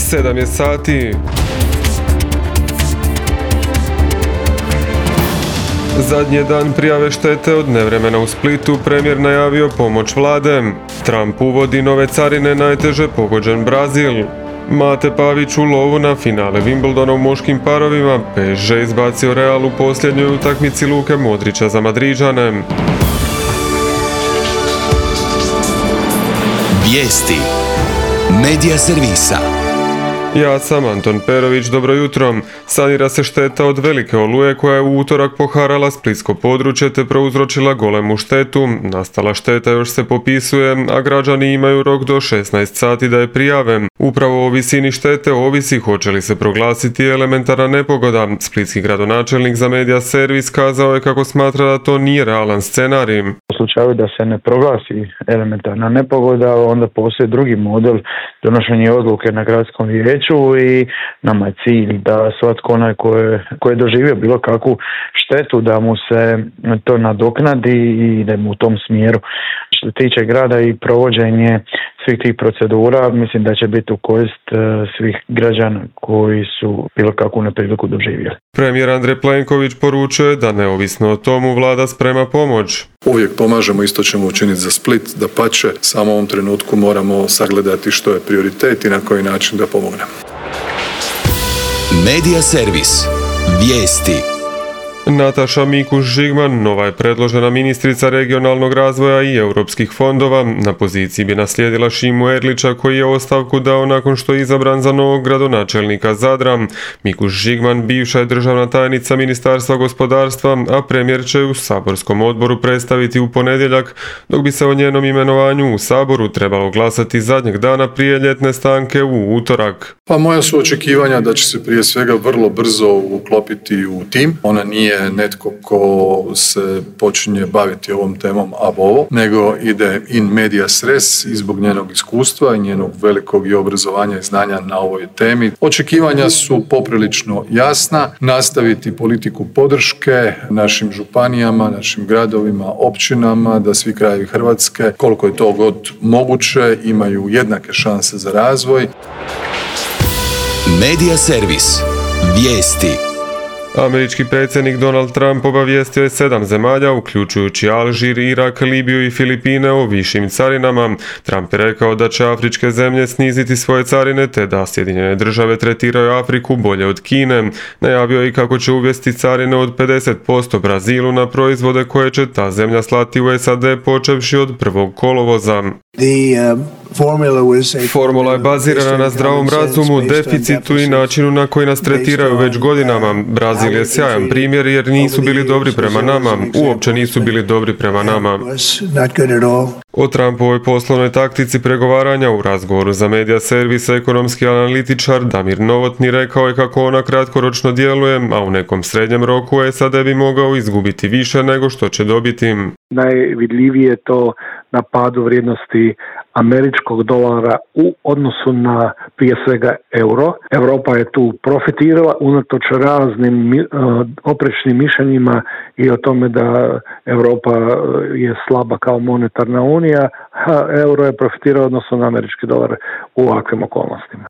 7 je sati. Zadnji dan prijave štete od nevremena u Splitu, premijer najavio pomoć vlade. Trump uvodi nove carine, najteže pogođen Brazil. Mate Pavić u lovu na finale Wimbledona u muškim parovima. PSG izbacio Real u posljednjoj utakmici Luke Modrića za Madriđane. Vijesti Medija servisa. Ja sam Anton Perović, dobro jutro. Sanira se šteta od velike oluje koja je u utorak poharala splitsko područje te prouzročila golemu štetu. Nastala šteta još se popisuje, a građani imaju rok do 16 sati da je prijave. Upravo o visini štete ovisi hoće li se proglasiti elementarna nepogoda. Splitski gradonačelnik za Medija servis kazao je kako smatra da to nije realan scenarij. U slučaju da se ne proglasi elementarna nepogoda, onda postoji drugi model donošenja odluke na gradskom vijeću i nama je cilj da svatko onaj ko je doživio bilo kakvu štetu da mu se to nadoknadi i da mu u tom smjeru. Što se tiče grada i provođenje svih tih procedura, mislim da će biti u korist svih građana koji su bilo kakvu nepriliku doživjeli. Premijer Andrej Plenković poručuje da neovisno o tomu vlada sprema pomoć. Uvijek pomažemo, isto ćemo učiniti za Split, dapače, samo u ovom trenutku moramo sagledati što je prioritet i na koji način da pomognemo. Medija servis. Vijesti. Nataša Mikuš-Žigman, nova je predložena ministrica regionalnog razvoja i europskih fondova. Na poziciji bi naslijedila Šimu Erlića koji je ostavku dao nakon što je izabran za novog gradonačelnika Zadra. Mikuš-Žigman bivša je državna tajnica Ministarstva gospodarstva, a premijer će u saborskom odboru predstaviti u ponedjeljak, dok bi se o njenom imenovanju u Saboru trebalo glasati zadnjeg dana prije ljetne stanke u utorak. Pa moja su očekivanja da će se prije svega vrlo brzo uklopiti u tim. Ona nije netko ko se počinje baviti ovom temom ab ovo, nego ide in medias res i zbog njenog iskustva i njenog velikog i obrazovanja i znanja na ovoj temi. Očekivanja su poprilično jasna, nastaviti politiku podrške našim županijama, našim gradovima, općinama, da svi krajevi Hrvatske, koliko je to god moguće, imaju jednake šanse za razvoj. Medija servis. Vijesti. Američki predsjednik Donald Trump obavijestio je 7 zemalja, uključujući Alžir, Irak, Libiju i Filipine, o višim carinama. Trump je rekao da će afričke zemlje sniziti svoje carine te da Sjedinjene države tretiraju Afriku bolje od Kine. Najavio je i kako će uvesti carine od 50% Brazilu na proizvode koje će ta zemlja slati u SAD počevši od 1. kolovoza. Formula je bazirana na zdravom razumu, deficitu i načinu na koji nas tretiraju već godinama. Brazil je sjajan primjer jer nisu bili dobri prema nama, uopće nisu bili dobri prema nama. O Trumpovoj poslovnoj taktici pregovaranja u razgovoru za Medija servis ekonomski analitičar Damir Novotny rekao je kako ona kratkoročno djeluje, a u nekom srednjem roku SAD bi mogao izgubiti više nego što će dobiti. Najvidljivije je to na padu vrijednosti američkog dolara u odnosu na prije svega euro. Europa je tu profitirala unatoč raznim oprečnim mišljenjima i o tome da Europa je slaba kao monetarna unija, a euro je profitirao odnosno na američki dolar u ovakvim okolnostima.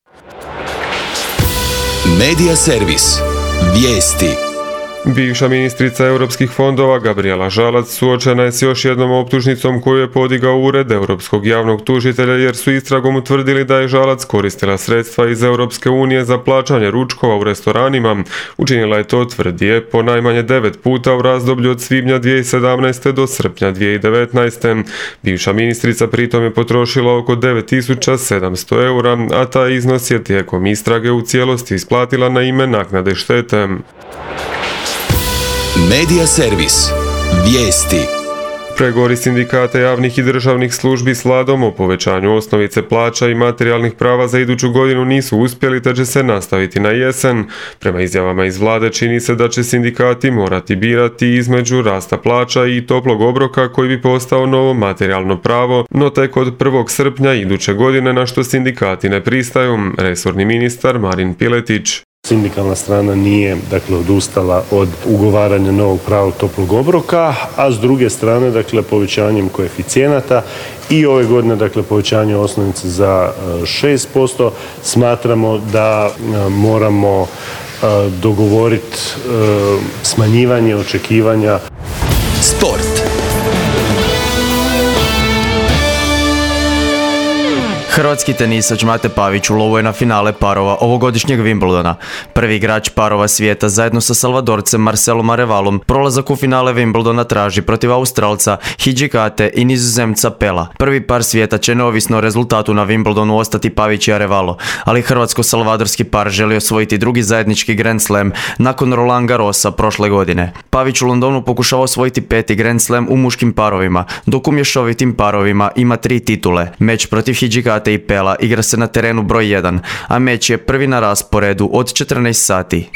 Medija servis. Vijesti. Bivša ministrica europskih fondova Gabrijela Žalac suočena je s još jednom optužnicom koju je podigao Ured europskog javnog tužitelja jer su istragom utvrdili da je Žalac koristila sredstva iz Europske unije za plaćanje ručkova u restoranima. Učinila je to, tvrdi je, po najmanje 9 puta u razdoblju od svibnja 2017. do srpnja 2019. Bivša ministrica pritom je potrošila oko 9700 eura, a taj iznos je tijekom istrage u cijelosti isplatila na ime naknade štete. Medija servis. Vijesti. Pregovori sindikata javnih i državnih službi s vladom o povećanju osnovice plaća i materijalnih prava za iduću godinu nisu uspjeli te će se nastaviti na jesen. Prema izjavama iz vlade čini se da će sindikati morati birati između rasta plaća i toplog obroka koji bi postao novo materijalno pravo, no tek od 1. srpnja iduće godine, na što sindikati ne pristaju. Resorni ministar Marin Piletić. Sindikalna strana nije odustala od ugovaranja novog pravog toplog obroka, a s druge strane povećanjem koeficijenata i ove godine povećanje osnovice za 6%, smatramo da moramo dogovoriti smanjivanje očekivanja. Sport. Hrvatski tenisač Mate Pavić u lovu je na finale parova ovogodišnjeg Wimbledona. Prvi igrač parova svijeta zajedno sa Salvadorcem Marcelom Arevalom prolazak u finale Wimbledona traži protiv Australca Hidžikate i Nizozemca Pela. Prvi par svijeta će neovisno o rezultatu na Wimbledonu ostati Pavić i Arevalo, ali hrvatsko-salvadorski par želi osvojiti drugi zajednički Grand Slam nakon Roland Garrosa prošle godine. Pavić u Londonu pokušava osvojiti 5. Grand Slam u muškim parovima, dok u mješovitim parovima ima 3 titule. Meč protiv Hidžikate i Pela igra se na terenu broj 1, a meč je prvi na rasporedu od 14 sati.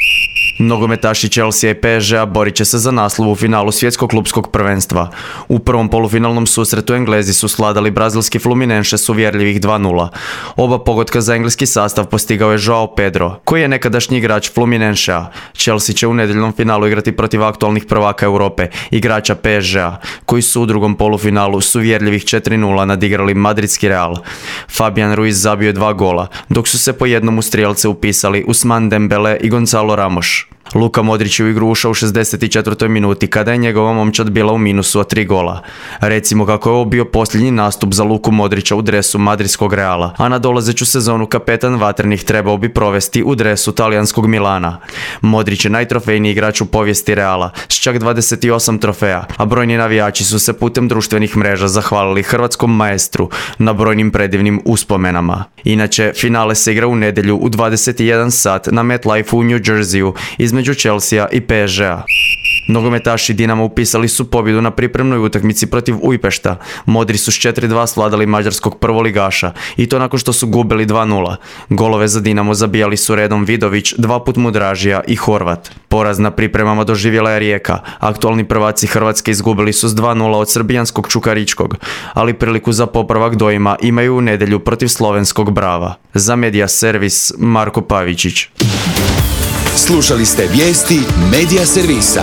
Nogometaši Chelsea i PSG-a borit će se za naslov u finalu svjetskog klupskog prvenstva. U prvom polufinalnom susretu Englezi su svladali brazilski Fluminense s uvjerljivih 2:0. Oba pogotka za engleski sastav postigao je Joao Pedro, koji je nekadašnji igrač Fluminensea. Chelsea će u nedjeljnom finalu igrati protiv aktualnih prvaka Europe, igrača PSG-a, koji su u drugom polufinalu s uvjerljivih 4:0 nadigrali madridski Real. Fabian Ruiz zabio je 2 gola, dok su se po jednom u strijelce upisali Ousmane Dembele i Gonzalo Ramos. Luka Modrić je u igru ušao u 64. minuti kada je njegova momčad bila u minusu od 3 gola. Recimo kako je ovo bio posljednji nastup za Luku Modrića u dresu madridskog Reala, a na dolazeću sezonu kapetan vatrenih trebao bi provesti u dresu talijanskog Milana. Modrić je najtrofejniji igrač u povijesti Reala s čak 28 trofeja, a brojni navijači su se putem društvenih mreža zahvalili hrvatskom maestru na brojnim predivnim uspomenama. Inače, finale se igra u nedjelju u 21 sat na MetLife u New Jerseyu između Chelsea i PSG-a. Nogometaši Dinama upisali su pobjedu na pripremnoj utakmici protiv Ujpešta. Modri su s 4:2 svladali mađarskog prvoligaša i to nakon što su gubili 2:0. Golove za Dinamo zabijali su redom Vidović, 2 put Mudražija i Horvat. Poraz na pripremama doživjela je Rijeka. Aktualni prvaci Hrvatske izgubili su s 2:0 od srbijanskog Čukaričkog, ali priliku za popravak dojma imaju u nedjelju protiv slovenskog Brava. Za Media Servis, Marko Pavičić. Slušali ste vijesti Media Servisa.